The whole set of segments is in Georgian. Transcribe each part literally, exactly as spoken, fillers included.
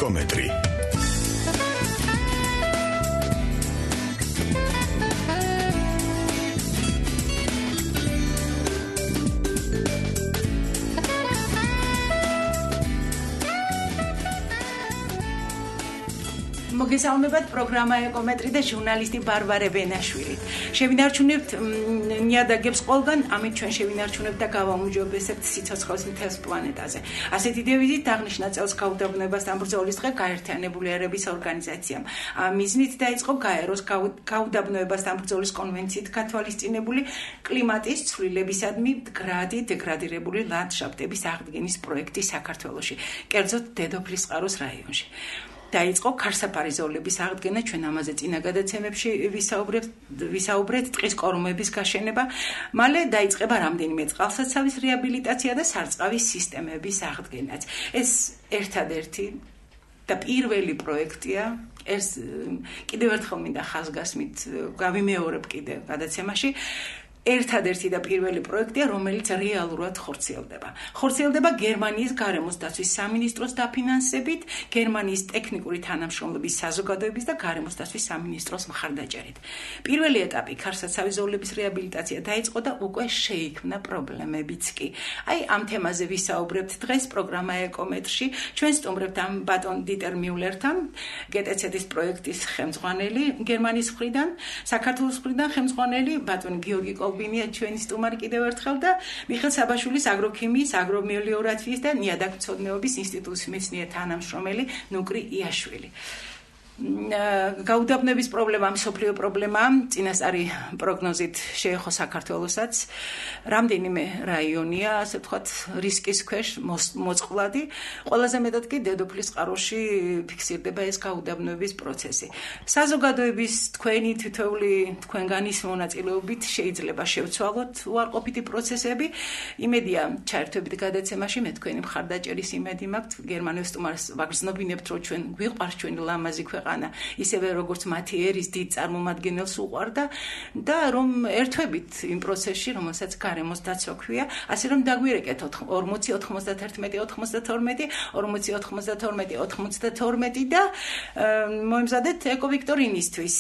ეკომეტრი. მოგესალმებათ პროგრამა ეკომეტრი და ჟურნალისტი ბარბარე ბენაშვილი. შევინარჩუნებთ ნიადაგებს ყველგან, ამით ჩვენ შევინარჩუნებთ და გავაუმჯობესებთ სიცოცხლის მთელს პლანეტაზე. ასეთი დევიზით აღნიშნა წელს გაუდაბნოებასთან ბრძოლის დღე გაერთიანებული ერების ორგანიზაციამ. მიზნით დაიწყო გაეროს გაუდაბნოებასთან ბრძოლის კონვენციით გათვალისწინებული კლიმატის ცვლილებისადმი მდგრადი დეგრადირებული ლანდშაფტების აღდგენის პროექტი საქართველოში, კერძოდ დედოფლის წყაროს რაიონში. დაიწყო ქარსაფარი ზოლების აღდგენა, ჩვენ ამაზე წინა გადაცემებში ვისაუბრებთ, ვისაუბრეთ ტყის კორომების გაშენება, მალე დაიწყება რამდენიმე წყალსაცავის რეაბილიტაცია და სარწყავის სისტემების აღდგენაც. ეს ერთადერთი და პირველი პროექტია, ეს კიდევ ერთხელ მინდა ხაზგასმით გავიმეორებ კიდევ გადაცემაში. ერთადერთი და პირველი პროექტია, რომელიც რეალურად ხორციელდება. ხორციელდება გერმანიის გარემოს დაცვის სამინისტროს დაფინანსებით, გერმანიის ტექნიკური თანამშრომლობის საზოგადოების და გარემოს დაცვის სამინისტროს მხარდაჭერით. პირველი ეტაპი ქარსაცავის ზოლების რეაბილიტაცია დაიწყო და უკვე შეიქმნა პრობლემებიც კი. აი ამ თემაზე ვისაუბრებთ დღეს პროგრამა ეკომეტრში. ჩვენ სტუმრებთ ამ ბატონ დიტერ მიულერთან, გეტეცეთის პროექტის ხელმძღვანელი გერმანიის მხრიდან, საქართველოს მხრიდან ხელმძღვანელი ბატონ გიორგი ბინია ჩვენი სტუმარი კიდევ ერთხელ და მიხეილ საბაშვილის აგროქიმიის, აგრომელიორაციის და ნიადაგმცოდნეობის ინსტიტუტის მეცნიერ თანამშრომელი ნუკრი იაშვილი. გაუდაბნოების პრობლემა მსოფლიო პრობლემაა, წინასწარი პროგნოზით შეეხო საქართველოსაც. რამდენიმე რაიონია, ასე ვთქვათ, რისკის ქვეშ მოწყვლადი. ყველაზე მეტად კი დედოფლის წყაროში ფიქსირდება ეს გაუდაბნოების პროცესი. საზოგადოების თქვენი თითოეული თქვენგანის მონაწილეობით შეიძლება შევცვალოთ უარყოფითი პროცესები. იმედია ჩაერთვებით გადაცემაში, მე თქვენი მხარდაჭერის იმედი მაქვს. გერმანელ სტუმარს ვაგრძნობინებთ, რომ ჩვენ გვიყვარს ჩვენი ლამაზი ქვეყანა, ისევე როგორც მათი ერის დიდ წარმომადგენელს უყვარდა და რომ ერთვებით იმ პროცესში, რომელსაც გარემოს დაცვა ქვია, ასე რომ დაგვირეკეთ ორმოცი ოთხმოცდათერთმეტი ოცდათორმეტი ორმოცი ოცდათორმეტი ოცდათორმეტი და მოიმზადეთ ეკოვიქტორინისთვის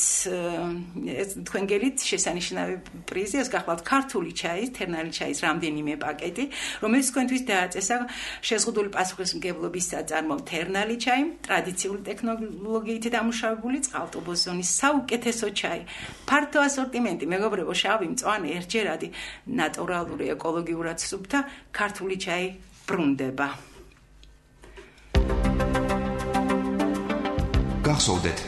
თქვენ გელით შესანიშნავი პრიზი, ეს გახლავთ ქართული ჩაის, თერნალი ჩაის რამდენიმე პაკეტი, რომელიც თქვენთვის დააწესა შეზღუდული პასუხისმგებლობის საწარმო თერნალი ჩაი, ტრადიციული ტექნოლოგიით დამუშავებული წყალტუბოს ზონის საუკეთესო ჩაი, ფართო ასორტიმენტი, მეგობრებო, შავი, მწვანე, ერთჯერადი, ნატურალური, ეკოლოგიურად სუფთა ქართული ჩაი ბრუნდება. გახსოვდეთ,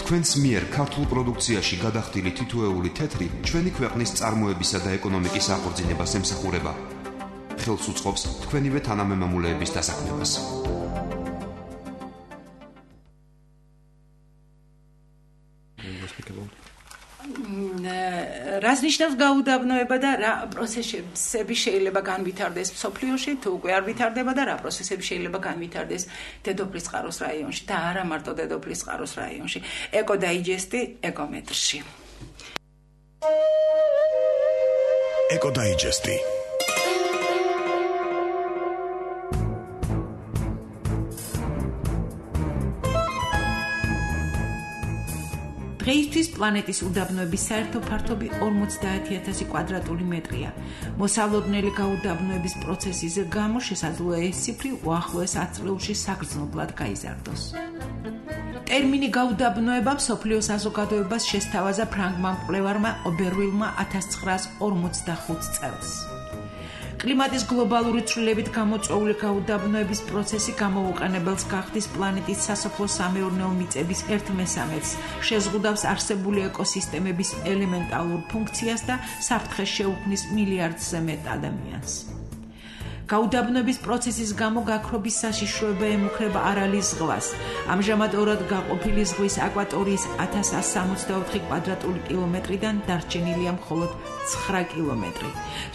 თქვენს მიერ ქართულ პროდუქციაში გადახდილი თითოეული თეთრი ჩვენი ქვეყნის წარმოებისა და ეკონომიკის აღორძინებას ემსახურება. ხელს უწყობს თქვენივე თანამემამულეების დასაქმებას. რას ნიშნავს გაუდაბნოება და რა პროცესები შეიძლება განვითარდეს მსოფლიოში, თუ უკვე არ ვითარდება და რა პროცესები შეიძლება განვითარდეს დედოფლის წყაროს რაიონში და არა მარტო დედოფლის წყაროს რაიონში. ეკოდაიჯესტი ეკომეტრში. ეკოდაიჯესტი. დღეისთვის პლანეტის უდაბნოების საერთო ფართობი ორმოცდაათი ათასი კვადრატული მეტრია. მოსალოდნელი გაუდაბნოების პროცესის გამო შესაძლოა ეს ციფრი უახლოეს ათ წლებში საგრძნობლად გაიზარდოს. ტერმინი გაუდაბნოება მსოფლიო საზოგადოებას შესთავაზა ფრანგმა მკვლევარმა ობერვილმა ათას ცხრაას ორმოცდახუთ წელს. კლიმატის გლობალური ცვლილებით გამოწვეული გაუდაბნოების პროცესი გამოუყენებელს გახდის პლანეტის სასოფლო-სამეურნეო მიწების ერთ მესამედს, შეზღუდავს არსებული ეკოსისტემების ელემენტალურ ფუნქციას და საფრთხეს შეუქმნის მილიარდზე მეტ ადამიანს. გაუდაბნოების პროცესის გამო გაქრობის საშიშროება ემუქრება არალის ზღვას. ამჟამად ორად გაყოფილი ზღვის აკვატორიის ათას ასი სამოცდაოთხი კვადრატული კილომეტრიდან დარჩენილია მხოლოდ ცხრა კილომეტრი.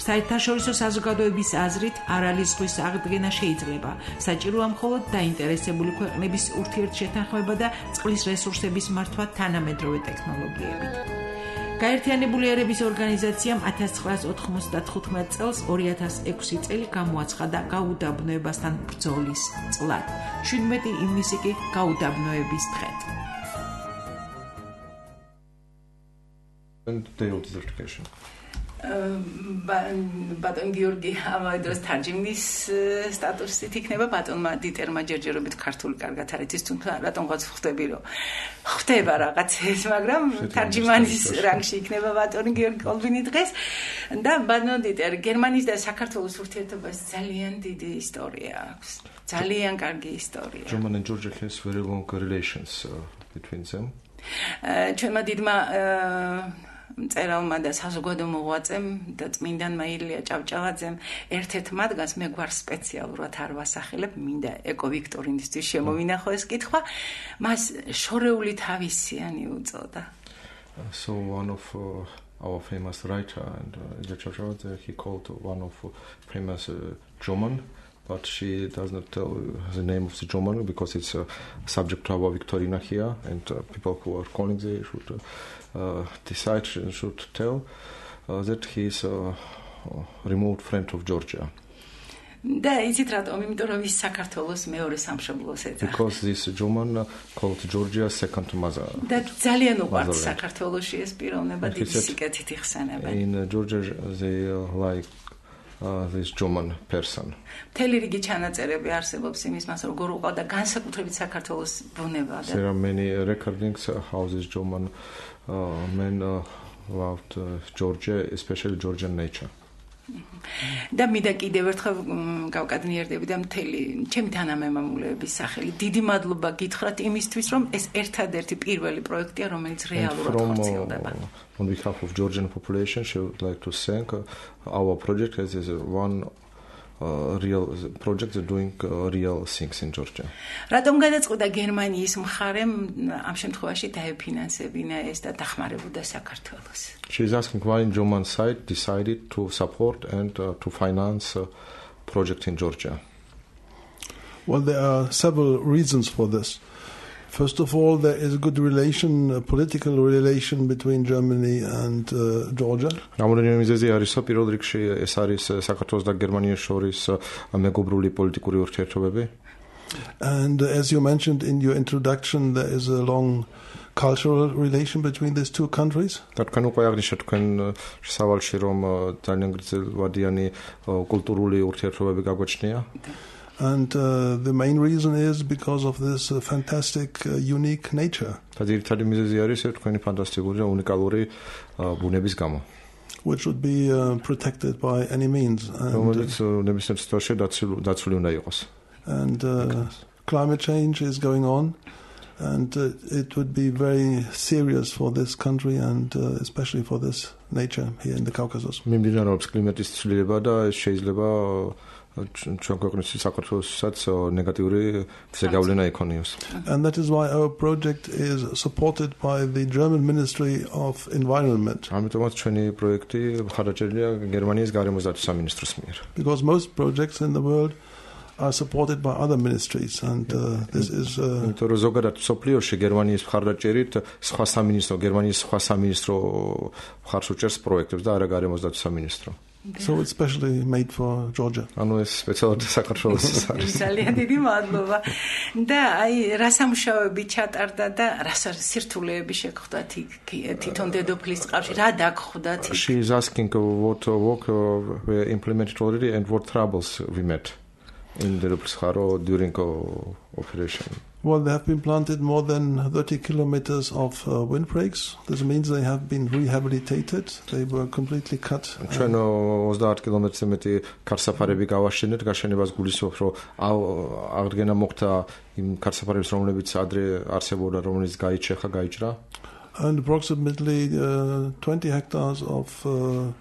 საერთაშორისო საზოგადოების აზრით არალის ზღვის აღდგენა შეიძლება. საჭიროა მხოლოდ დაინტერესებული ქვეყნების ურთიერთშეთანხმება და წყლის რესურსების მართვა თანამედროვე ტექნოლოგიებით. გაერთიანებული ერების ორგანიზაციამ ათას ცხრაას ოთხმოცდათხუთმეტ წელს ორი ათას ექვსი წელი გამოაცხადა გაუდაბნოებასთან ბრძოლის წლად. შვიდმეტი ივნისი კი გაუდაბნოების დღედ. And day of desertification. ბატონ გიორგი ამავდროულად თარჯიმნის სტატუსით იქნება ბატონმა დიტერმა ჯერჯერობით ქართული კარგად არ იცის, თუმცა რატომღაც ხვდები რომ ხვდება რაღაცებს, მაგრამ თარჯიმანის რანგში იქნება ბატონი გიორგი კოლბინი დღეს და ბატონ დიტერ გერმანიის და საქართველოს ურთიერთობას ძალიან დიდი ისტორია აქვს. ძალიან კარგი ისტორია. German and Georgia has very long relations uh, between them. ჩვენმა დიდმა მწერალმა და საზოგადო მოღვაწემ და წმინდანმა ილია ჭავჭავაძემ ერთ-ერთ მათგანს მე გვარ სპეციალურად არ ვასახელებ, მინდა ეკო ვიქტორინისთვის შემოვინახო ეს კითხვა, მას შორეული თავისიანი უწოდა. So one of uh, our famous writer and Ილია Ჭავჭავაძე, he called one of uh, famous uh, German, but she does not tell the name of the German because it's a subject to our Victorina here, and uh, people who are calling they should uh, uh, decide should tell uh, that he is a remote friend of Georgia. და იცით რატომ? იმიტომ რომ ის საქართველოს მეორე სამშობლოს ეძახდა. Because this German uh, called Georgia second mother. და ძალიან უყვართ საქართველოში ეს პიროვნება დიდი სიკეთით იხსენებენ. In uh, Georgia they uh, like Uh, this German person. მთელი რიგი ჩანაწერები არსებობს იმის მას როგორ უყავდა განსაკუთრებით საქართველოს ბუნება და There are many recordings uh, how this German uh, men uh, loved uh, Georgia, especially Georgian nature. და მინდა კიდევ ერთხელ გავკადნიერდები და მთელი ჩემი თანამემამულეების სახელით დიდი მადლობა გითხრათ იმისთვის რომ ეს ერთადერთი პირველი პროექტია რომელიც რეალურად ხორციელდება. On behalf of Georgian population, she would like to thank uh, our project as is one uh, real project that doing uh, real things in Georgia. რატომ გადაწყვიტა გერმანიის მხარემ ამ შემთხვევაში დაეფინანსებინა ეს და დახმარებოდა საქართველოს? She is asking why German side decided to support and uh, to finance a project in Georgia. Well, there are several reasons for this. First of all, there is a good relation, a political relation between Germany and uh, Georgia. რამოდენიმე მიზეზი არის, პირველ რიგში ეს არის საქართველოს და გერმანიის შორის მეგობრული პოლიტიკური ურთიერთობები. And uh, as you mentioned in your introduction, there is a long cultural relation between these two countries. და თქვენ უკვე აღნიშნეთ თქვენ სავალში რომ ძალიან გრძელვადიანი კულტურული ურთიერთობები გაგვაჩნია. And uh, the main reason is because of this uh, fantastic, uh, unique nature. და ძირითადი მიზეზი არის თქვენი ფანტასტიკური და უნიკალური ბუნების გამო. Which would be uh, protected by any means. რომელიც ნებისმიერ სიტუაციაში დაცული უნდა იყოს. And uh, climate change is going on. And uh, it would be very serious for this country and uh, especially for this nature here in the Caucasus. მიმდინარეობს კლიმატის ცვლილება და ეს შეიძლება ჩვენ ქვეყნის საქართველოსაც ნეგატიური ზეგავლენა იქონიოს. And that is why our project is supported by the German Ministry of Environment. ამიტომაც ჩვენი პროექტი მხარდაჭერილია გერმანიის გარემოსდაცვის სამინისტროს მიერ. Because most projects in the world are supported by other ministries and uh, this is იმიტომ რომ ზოგადად სოფლიოში გერმანიის მხარდაჭერით სხვა სამინისტრო გერმანიის სხვა სამინისტრო მხარს უჭერს პროექტებს და არა გარემოსდაცვის სამინისტრო. So it's specially made for Georgia. ანუ ეს სპეციალურად საქართველოს არის. ძალიან დიდი მადლობა. და აი რა სამუშაოები ჩატარდა და რა სირთულეები შეგხვდათ თვითონ დედოფლის წყაროში, რა დაგხვდათ? She is asking what work were implemented already and what troubles we met in the Ruplskaro during operation. Well, they have been planted more than thirty kilometers of uh, windbreaks. This means they have been rehabilitated. They were completely cut. ჩვენ ოცდაათ კილომეტრზე მეტი ქარსაფარები გავაშენეთ. გაშენებას გულისხმობ, რომ აღდგენა მოხდა იმ ქარსაფარების, რომლებიც ადრე არსებობდა, რომელიც გაიჩეხა, გაიჭრა. And approximately uh, twenty hectares of uh,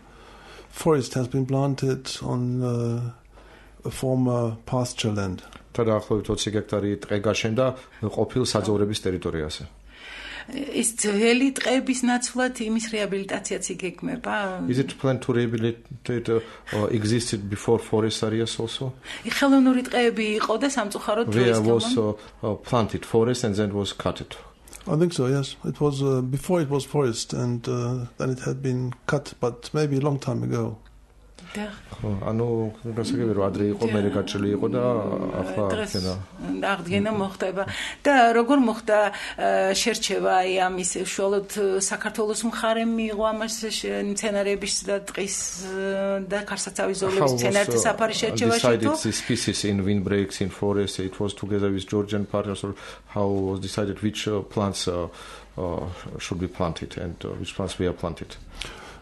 forest has been planted on uh, a former pasture land. და დაახლოებით ოცი ჰექტარი ტყე გაშენდა ყოფილ საძოვრების ტერიტორიაზე. ის ძველი ტყეების ნაცვლად იმის რეაბილიტაციაც იგეგმება? Is it planned to rehabilitate uh, existed before forest areas also? ხელოვნური ტყეები იყო და სამწუხაროდ დროის გამო was uh, uh, planted forest and then was cut it. I think so, yes. It was uh, before it was forest, and uh, then it had been cut, but maybe a long time ago. ანუ გასაგებია რომ ადრე იყო მე გაჭრილი იყო და ახლა აქენა აღდგენა მოხდება და როგორ მოხდა შერჩევა აი ამის უშუალოდ საქართველოს მხარემ მიიღო ამას მცენარეების და ტყის და ქარსაცავის ზოლების მცენარეთა საფარი შერჩევაში თუ decided species in windbreaks in forests it was together with Georgian partners or how was decided which uh, plants uh, uh, should be planted and uh, which plants were planted.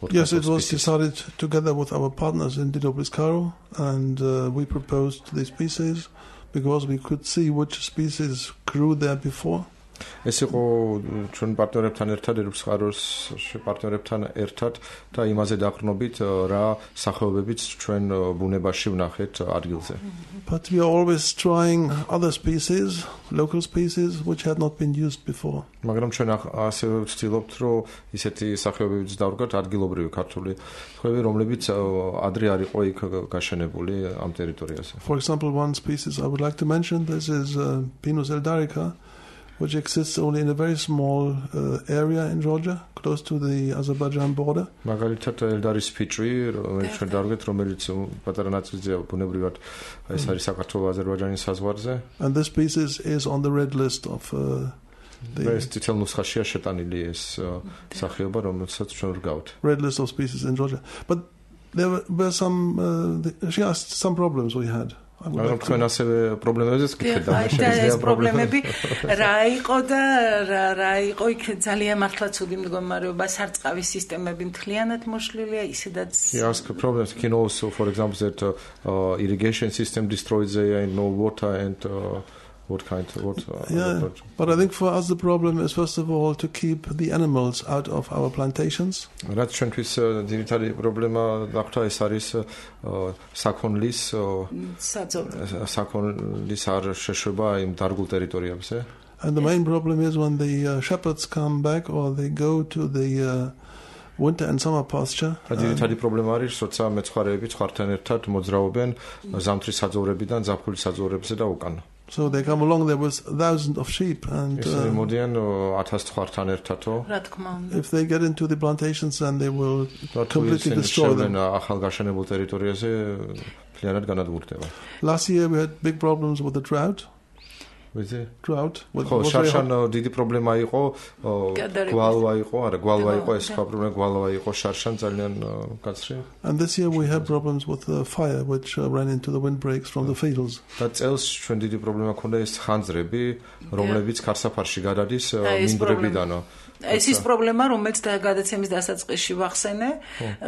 What yes, it was decided together with our partners in Didoplis Karo, and uh, we proposed the species because we could see which species grew there before. ეს იყო ჩვენ პარტნიორებთან ერთად ერუპის ხაროს პარტნიორებთან ერთად და იმაზე დაყრდნობით რა სახეობებიც ჩვენ ბუნებაში ვნახეთ ადგილზე. But we are always trying other species, local species which had not been used before. მაგრამ ჩვენ ასევე ვცდილობთ რომ ისეთი სახეობებიც დავდგათ ადგილობრივი ქართული ხეები რომლებიც ადრე არ იყო იქ გაშენებული ამ ტერიტორიაზე. For example, one species I would like to mention, this is uh, Pinus eldarica, which exists only in a very small uh, area in Georgia, close to the Azerbaijan border. მაგალითად ელდარის ფიჭვი, რომელიც ჩვენ დავდგეთ, რომელიც პატარა ნაწილზეა ბუნებრივად ეს არის საქართველოს აზერბაიჯანის საზღვარზე. And this species is on the red list of uh, the ეს თითელ ნუსხაშია შეტანილი ეს სახეობა, რომელსაც ჩვენ ვგავთ. Red list of species in Georgia. But there were, were some uh, the, she asked some problems we had. მაგრამ თქვენ ასევე პრობლემებზეც გითხეთ და ეს პრობლემები რა იყო და რა რა იყო იქ ძალიან მართლა ცუდი მდგომარეობა სარწყავის სისტემები მთლიანად მოშლილია ისედაც He asked problems can also for example that uh, uh, irrigation system destroyed there and no water and uh, what kind of what uh, yeah, but I think for us the problem is first of all to keep the animals out of our plantations. რაც ჩვენთვის ძირითადი პრობლემა ნახთა ეს არის საქონლის საქონლის არ შეშვება იმ დარგულ ტერიტორიებზე. And the main problem is when the uh, shepherds come back or they go to the uh, winter and summer pasture. ძირითადი პრობლემა არის როცა მეცხვარეები ცხვართან ერთად მოძრაობენ ზამთრის საძოვრებიდან ზაფხულის საძოვრებზე და უკან. So they come along there with thousands of sheep and uh, if they get into the plantations then they will completely destroy them. Last year we had big problems with the drought. With the drought. ხო, შარშან დიდი პრობლემა იყო, გვალვა იყო, არა, გვალვა იყო, ეს სხვა პრობლემა გვალვა იყო, შარშან ძალიან კაცრი. And this year we had problems with the fire which uh, ran into the windbreaks from the fields. და წელს ჩვენ დიდი პრობლემა ქონდა ეს ხანძრები, რომლებიც ქარსაფარში გადადის მინდვრებიდანო. ეს ის პრობლემა, რომელიც გადაცემის დასაწყისში ვახსენე,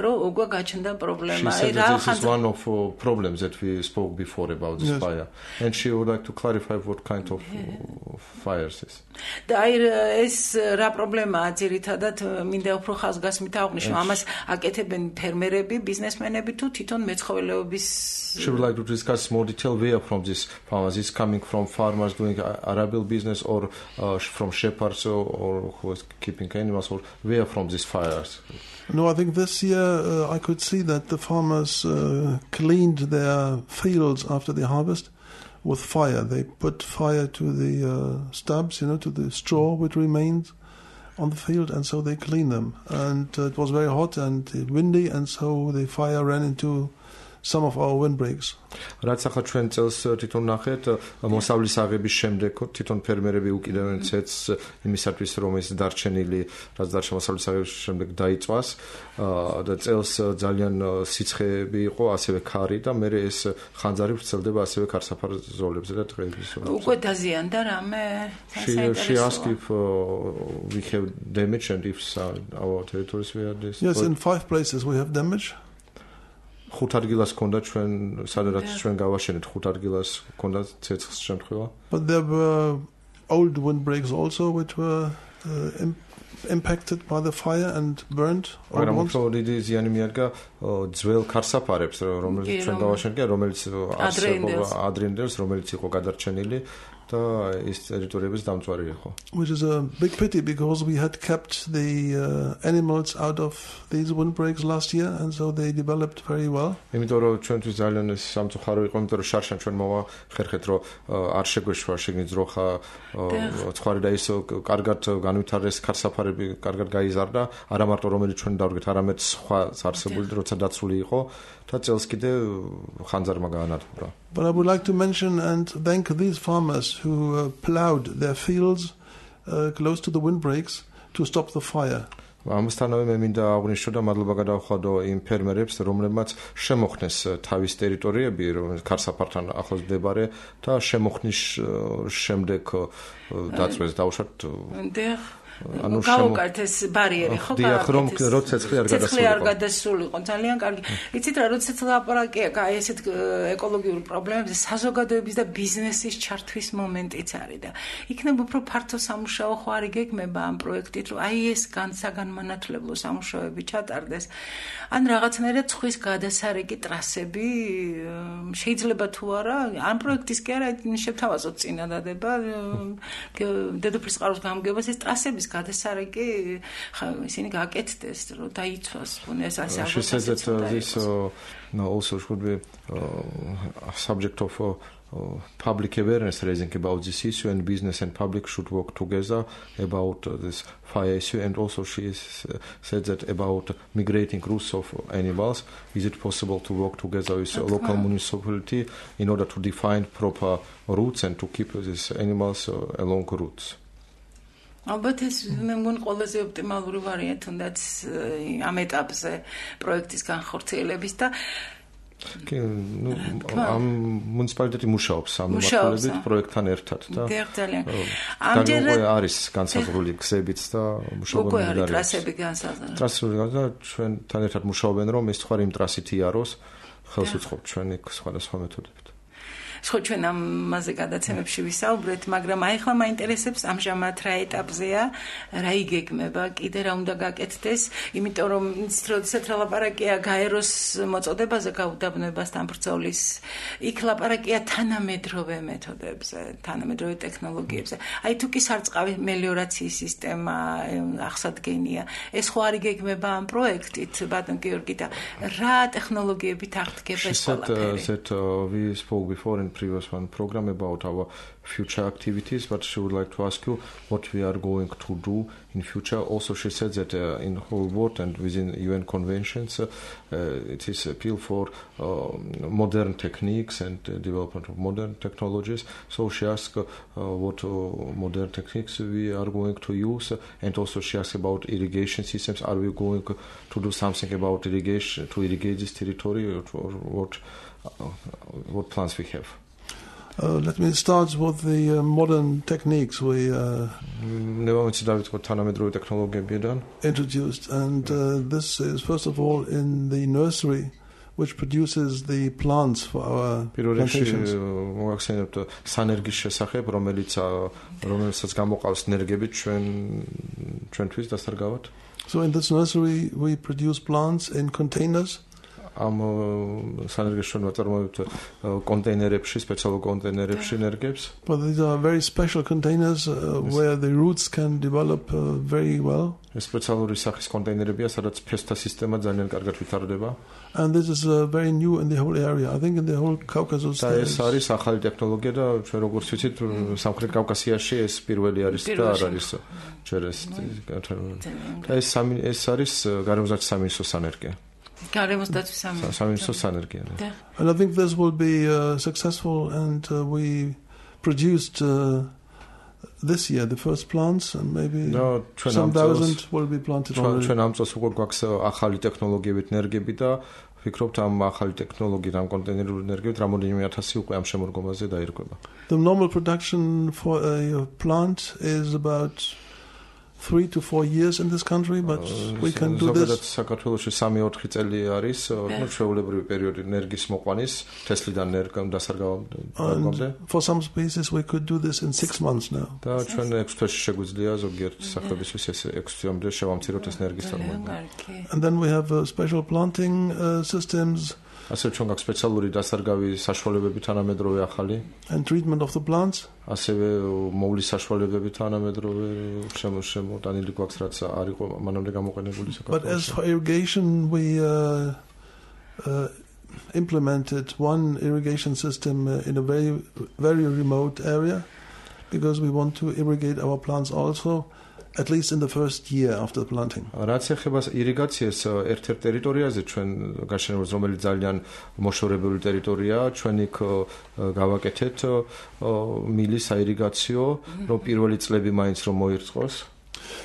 რომ უკვე გაჩნდა პრობლემა. აი რა ხანძრი is one of uh, problems that we spoke before about this yes. fire. And she would like to clarify what kind of uh, fires is. და აი ეს რა პრობლემაა ძირითადად მინდა უფრო ხაზგასმით აღვნიშნო. ამას აკეთებენ ფერმერები, ბიზნესმენები თუ თვითონ მეცხოველეობის She would like to discuss more detail where from this farmers is coming from farmers doing arable business or uh, from shepherds or, or who is keeping animals or where from these fires? No, I think this year uh, I could see that the farmers uh, cleaned their fields after the harvest with fire. They put fire to the uh, stubs, you know, to the straw which remained on the field, and so they cleaned them. And uh, it was very hot and windy, and so the fire ran into some of our windbreaks. რაც ახლა ჩვენ წელს თვითონ ნახეთ მოსავლის აღების შემდეგ თვითონ ფერმერები უკიდევენ ცეცს იმისათვის რომ ეს დარჩენილი რაც დარჩა მოსავლის აღების შემდეგ დაიწვას და წელს ძალიან სიცხეები იყო ასევე ქარი და მე ეს ხანძარი ვრცელდება ასევე ქარსაფარ ზოლებზე და ტყეების ზოლებზე. უკვე დაზიანდა რამე? She asked if uh, we have damage and if our territories were this. Yes, in five places we have damage. ხუთ ადგილას ქონდა ჩვენ სადაც ჩვენ გავაშენეთ ხუთ ადგილას ქონდა ცეცხლის შემთხვევა. But there were old windbreaks also which were uh, impacted by the fire and burnt all მაგრამ once. უფრო დიდი ზიანი მიადგა ძველ ქარსაფარებს, რომელიც ჩვენ გავაშენეთ, რომელიც ადრინდელს, რომელიც იყო გადარჩენილი და ის ტერიტორიების დამწვარი იყო. Which is a big pity because we had kept the uh, animals out of these windbreaks last year and so they developed very well. იმიტომ რომ ჩვენთვის ძალიან სამწუხარო იყო, იმიტომ რომ შარშან ჩვენ მოვახერხეთ, რომ არ შეგვეშვა შეგნით ძროხა ცხარი და ის კარგად განვითარეს ქარსაფარები, კარგად გაიზარდა, არა მარტო რომელიც ჩვენ დავდგეთ, არამედ სხვა არსებული როცა დაცული იყო და წელს კიდე ხანძარმა გაანადგურა. But I would like to mention and thank these farmers who uh, plowed their fields uh, close to the windbreaks to stop the fire. ამასთანავე მე მინდა აღვნიშნო და მადლობა გადავხადო იმ ფერმერებს, რომლებმაც შემოხნეს თავის ტერიტორიები, რომელიც ქარსაფართან ახლოს მდებარე და შემოხნის შემდეგ დაწვეს დაუშვათ ანუ გავუკართ ეს ბარიერი ხო დიახ რომ როცა ცეცხლი არ გადასულიყო ცეცხლი არ გადასულიყო ძალიან კარგი იცით რა როცა ლაპარაკია აი ესეთ ეკოლოგიურ პრობლემებზე საზოგადოების და ბიზნესის ჩართვის მომენტიც არის და იქნებ უფრო ფართო სამუშაო ხო არ იგეგმება ამ პროექტით რომ აი ეს განსაგანმანათლებლო სამუშაოები ჩატარდეს ან რაღაცნაირად ცხვის გადასარეკი ტრასები შეიძლება თუ არა ამ პროექტის კი არა შევთავაზოთ წინადადება დედოფლის წყაროს გამგებას ეს ტრასების გადასარეკი ისინი გაკეთდეს რომ დაიცვას ეს ასე She said that uh, this uh, no, also should be uh, a subject of uh, uh, public awareness raising about this issue and business and public should work together about uh, this fire issue and also she is, uh, said that about migrating routes of animals is it possible to work together with a local municipality in order to define proper routes and to keep these animals uh, along routes ალბათ ეს მე მგონი ყველაზე ოპტიმალური ვარიანტი თუნდაც ამ ეტაპზე პროექტის განხორციელების და კი ნუ ამ მუნიციპალიტეტი მუშაობს ამ მიმართულებით პროექტთან ერთად და ძალიან ამჯერად არის განსაზღვრული გზებიც და მუშაობენ უკვე არის ტრასები განსაზღვრული ტრასები და ჩვენთან ერთად მუშაობენ რომ ეს თქვა იმ ტრასით იაროს ხელს უწყობთ ჩვენი სხვადასხვა მეთოდებით ხო ჩვენ ამაზე გადაცემებში ვისაუბრეთ, მაგრამ აი ახლა მაინტერესებს ამჟამად რა ეტაპზეა, რა იგეგმება, კიდე რა უნდა გაკეთდეს, იმიტომ რომ როდესაც ლაპარაკია გაეროს მოწოდებაზე გაუდაბნოებასთან ბრძოლის, იქ ლაპარაკია თანამედროვე მეთოდებზე, თანამედროვე ტექნოლოგიებზე. აი თუ კი სარწყავი მელიორაციის სისტემა აღსადგენია, ეს ხო არ იგეგმება ამ პროექტით, ბატონ გიორგი და რა ტექნოლოგიებით აღდგება ეს ყველაფერი? Previous one program about our future activities, but she would like to ask you what we are going to do in future. Also, she said that uh, in whole world and within U N conventions, uh, uh, it is appeal for uh, modern techniques and uh, development of modern technologies. So she asked uh, what uh, modern techniques we are going to use, uh, and also she asked about irrigation systems. Are we going to do something about irrigation to irrigate this territory, or, or what? Uh, what plans we have? Uh, let me start with the uh, modern techniques we uh, introduced, and uh, this is first of all in the nursery, which produces the plants for our plantations. So in this nursery we produce plants in containers. ამ სანერგეშონ ვაწარმოებთ კონტეინერებში, სპეციალურ კონტეინერებში ნერგებს. But these are very special containers uh, where the roots can develop uh, very well. ეს სპეციალური სახის კონტეინერებია, სადაც ფესთა სისტემა ძალიან კარგად ვითარდება. And this is uh, very new in the whole area. I think in the whole Caucasus. და ეს არის ახალი ტექნოლოგია და ჩვენ როგორც ვიცით, სამხრეთ კავკასიაში ეს პირველი არის და არ არის ჯერ ეს. და ეს სამი ეს არის გარემოსდაცვის სამინისტროს სანერგე. And I think this will be uh, successful, and uh, we produced uh, this year the first plants, and maybe no, some thousand will be planted already. ჩვენ ამ წელს უკვე გვაქვს ახალი ტექნოლოგიებით ნერგები და ვფიქრობთ ამ ახალი ტექნოლოგიით, ამ კონტეინერული ნერგებით რამოდენიმე ათასი უკვე ამ შემოდგომაზე დაირღვება. The normal production for a plant is about three to four years in this country, but we can do ზოგადად this. საქართველოში სამი-ოთხი წელი არის, ну, ჩვეულებრივი პერიოდი ენერგიის მოყვანის, თესლიდან ენერგიამ დასარგავამდე. For some species, we could do this in six months now. და ჩვენ ექვს თვეში შეგვიძლია ზოგიერთ სახლებისთვის ეს ექვს თვემდე შევამციროთ ეს ენერგიის წარმოება. And then we have uh, special planting uh, systems. ასე ჩვენ გაქვს სპეციალური დასარგავი საშუალებები თანამედროვე ახალი. And treatment of the plants. ასევე მოვლის საშუალებები თანამედროვე შემოტანილი გვაქვს რაც არ იყო მანამდე გამოყენებული საქართველოში. But as for irrigation, we uh, uh, implemented one irrigation system uh, in a very very remote area because we want to irrigate our plants also. At least in the first year after the planting. რაც ეხება ირიგაციას ერთ-ერთ ტერიტორიაზე ჩვენ გაშენებულს რომელიც ძალიან მოშორებული ტერიტორიაა ჩვენ იქ გავაკეთეთ მილის საირიგაციო რომ პირველი წლები მაინც რომ მოირწყოს.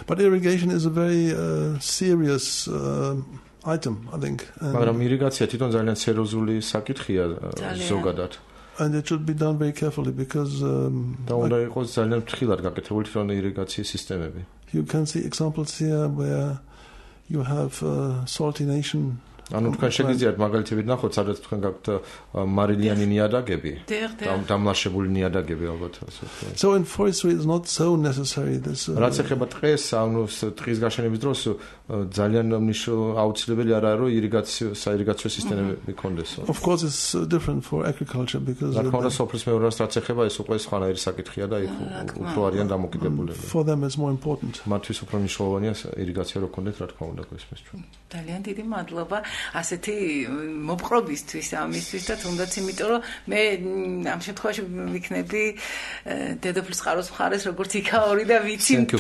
But irrigation is a very uh, serious uh, item, I think. მაგრამ ირიგაცია თვითონ ძალიან სერიოზული საკითხია ზოგადად. And it should be done very carefully because um, და უნდა იყოს ძალიან ფრთხილად გაკეთებული თვითონ ირიგაციის სისტემები. You can see examples here where you have uh, saltination. ანუ თქვენ შეგიძლიათ მაგალითები ნახოთ, სადაც თქვენ გაქვთ მარილიანი ნიადაგები, დამლაშებული ნიადაგები ალბათ ასე ვთქვათ. So in forestry it's not so necessary this. რაც ეხება ტყეს, ანუ ტყის გაშენების დროს ძალიან აუცილებელი არ არის რომ ირიგაციო საირიგაციო სისტემები გქონდეს. Of course it's different for agriculture because რა თქმა უნდა სოფლის მეურნეობას რაც ეხება ეს უკვე სხვანაირი საკითხია და იქ უფრო არიან დამოკიდებულები. For them it's more important. მათთვის უფრო მნიშვნელოვანია ირიგაცია რო გქონდეთ რა თქმა უნდა გესმის ჩვენ. ძალიან დიდი მადლობა ასეთი მოპყრობისთვის ამისთვის და თუნდაც იმიტომ რომ მე ამ შემთხვევაში ვიქნები დედოფლის წყაროს მხარეს როგორც იქაური და ვიცი კი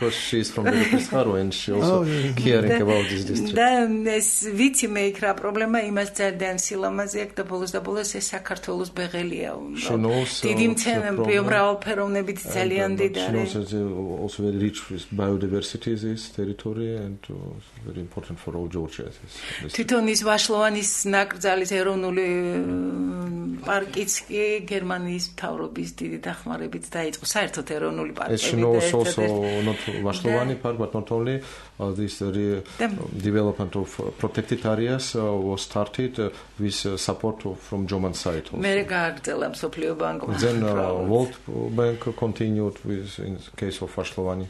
because she is from დედოფლის წყარო and she also caring about this district. და ეს ვიცი მე იქ რა პრობლემა იმას ძალიან სილამაზე აქვს და ბოლოს და ბოლოს ეს საქართველოს ბეღელია დიდი მრავალფეროვნებით ძალიან დიდარი. Also very rich with biodiversity this territory and very important for all Georgians. თვითონ ის ვაშლოვანის ნაკრძალის ეროვნული პარკიც კი გერმანიის მთავრობის დიდი დახმარებით დაიწყო საერთოდ ეროვნული პარკები და also not ვაშლოვანი park but not only uh, this uh, development of uh, protected areas uh, was started uh, with uh, support of, from German side also. მე გააგრძელა მსოფლიო ბანკმა. Then uh, World Bank continued with in case of ვაშლოვანი.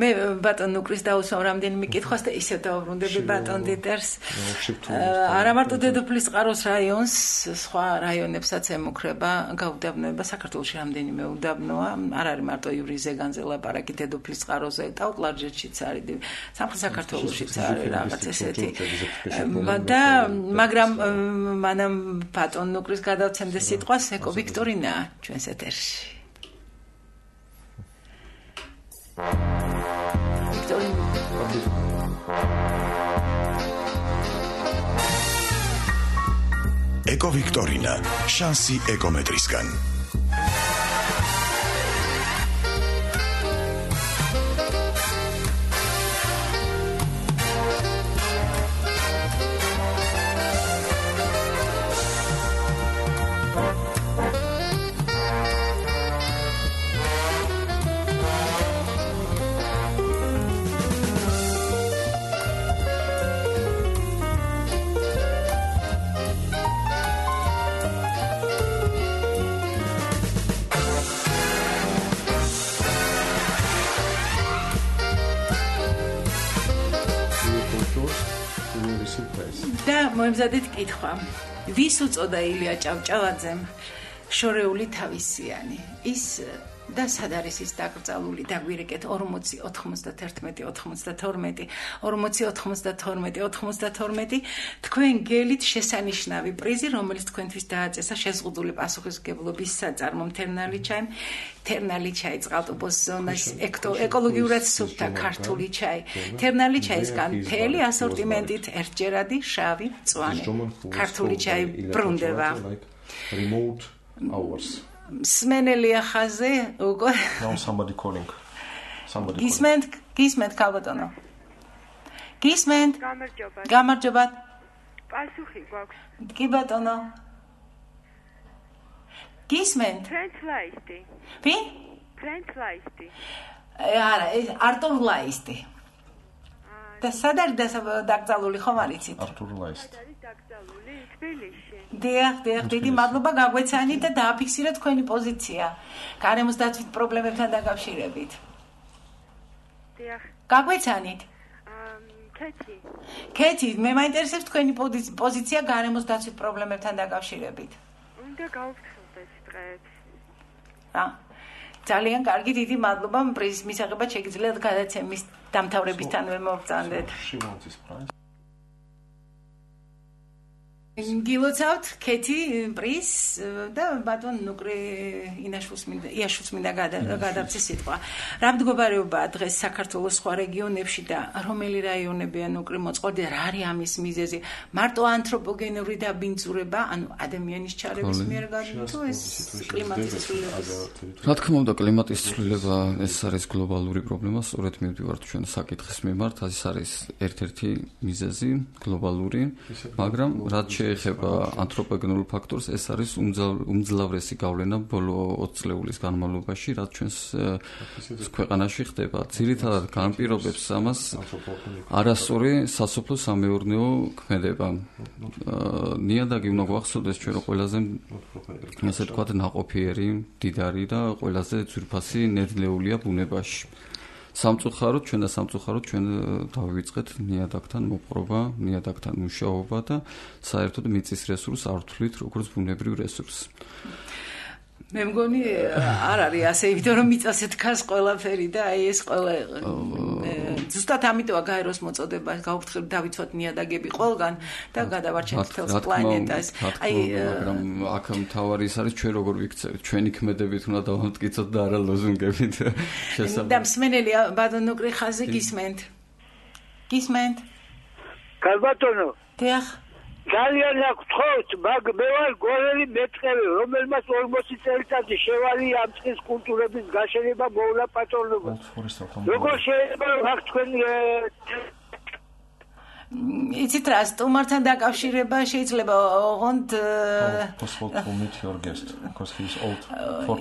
მე ბატონ ნუკრის დაუსვამ რამდენიმე კითხვას და ისევ დავბრუნდები ბატონ დიტერს. არა მარტო დედოფლის წყაროს რაიონს, სხვა რაიონებსაც ემუქრება გაუდაბნოება. საქართველოში რამდენიმე უდაბნოა. არ არის მარტო იური ზეგანზე ლაპარაკი დედოფლის წყაროზე, ტაუკლარჯეთშიც არის, სამხრეთ საქართველოშიც არის რაღაც ესეთი. და მაგრამ მანამ ბატონ ნუკრის გადავცემდეს სიტყვას ეკო ვიქტორინა ჩვენს ეთერში. ეკო ვიქტორინა შანსი ეკომეტრისგან. და მოემზადეთ კითხვა. ვის უწოდა ილია ჭავჭავაძემ შორეული თავისიანი? ის და სად არის ის დაკრძალული? დაგვირეკეთ ორმოცი ოთხმოცდათერთმეტი ოთხმოცდათორმეტი ორმოცი ოთხმოცდათორმეტი ოთხმოცდათორმეტი თქვენ გელით შესანიშნავი პრიზი, რომელიც თქვენთვის დააწესა შეზღუდული პასუხისმგებლობის საწარმო მთერნალი ჩაი, მთერნალი ჩაი წყალტუბოს ზონას ეკოლოგიურად სუფთა ქართული ჩაი, მთერნალი ჩაისგან მთელი ასორტიმენტით ერთჯერადი შავი მწვანე ქართული ჩაი ბრუნდება. Remote hours. სმენელია ხაზე უკვე Now somebody calling. Somebody. გისმენთ, გისმენთ ქალბატონო. გისმენთ. გამარჯობა. გამარჯობა. პასუხი გვაქვს. კი ბატონო. გისმენთ. Translate. ვი? Translate. არა, არტურ ლაისტი. და სად არის დაკრძალული ხომ არ იცით? არტურ ლაისტი. არის დაკრძალული თბილისში. დიახ, დიახ, დიდი მადლობა გაგვეცანით და დააფიქსირეთ თქვენი პოზიცია გარემოს დაცვით პრობლემებთან დაკავშირებით. დიახ. გაგვეცანით? კეთი. კეთი, მე მაინტერესებს თქვენი პოზიცია გარემოს დაცვით პრობლემებთან დაკავშირებით. უნდა გავფრთხილდეთ დღეს. რა? ძალიან კარგი, დიდი მადლობა. პრიზის მისაღებად შეგიძლიათ გადაცემის დამთავრებისთანავე მოვწანდეთ. გილოცავთ კეთი პრიზ და ბატონ ნუკრი ინაშვილს მინდა იაშვილს მინდა გადავწეს სიტყვა. რა მდგომარეობაა დღეს საქართველოს სხვა რეგიონებში და რომელი რაიონებია ნუკრი მოწყობილი და რა არის ამის მიზეზი? მარტო ანთროპოგენური დაბინძურება, ანუ ადამიანის ჩარების მიერ გადაჭრა თუ ეს კლიმატის ცვლილება? რა თქმა უნდა, კლიმატის ცვლილება ეს არის გლობალური პრობლემა, სწორედ მივდივართ ჩვენ საკითხის მიმართ, ეს არის ერთ-ერთი მიზეზი გლობალური, მაგრამ რაც ეხება ანთროპოგენურ ფაქტორს, ეს არის უმძლავრესი გავლენა ბოლო ოცი წლეულის განმავლობაში, რაც ჩვენს ქვეყანაში ხდება. ძირითადად განპირობებს ამას არასწორი სასოფლო-სამეურნეო ქმედება. ნიადაგი უნდა გვახსოვდეს ჩვენ ყველაზე ასე ვთქვათ ნაყოფიერი, მდიდარი და ყველაზე ძვირფასი ნედლეულია ბუნებაში. სამწუხაროდ ჩვენ და სამწუხაროდ ჩვენ დავივიწყეთ ნიადაგთან მოპყრობა, ნიადაგთან მუშაობა და საერთოდ მიწის რესურსს არ ვთვლით როგორც ბუნებრივ რესურსს. მე მგონი არ არის ასე, იმიტომ რომ მიწაზე დგას ყველაფერი და აი ეს ყველა ზუსტად ამიტოა გაეროს მოწოდება გავფრთხილდეთ დავიცვათ ნიადაგები ყველგან და გადავარჩენთ თელს პლანეტას. აი მაგრამ აქ მთავარი ის არის ჩვენ როგორ ვიქცევით, ჩვენი ქმედებით უნდა დავამტკიცოთ და არა ლოზუნგებით. შესაძლოა. და მსმენელი ბატონ ნუკრი ხაზი გისმენთ? გისმენთ? კარბატონო. დიახ. ძალიან აღთხოვთ, მაგ მე ვარ გორელი მეწყევი, რომელმაც ორმოცი წელიწადი შევალი ამ წყლის კულტურების გაშენება მოვლა პატრონობას. როგორ შეიძლება აქ თქვენ იცით რა, სტუმართან დაკავშირება შეიძლება ოღონდ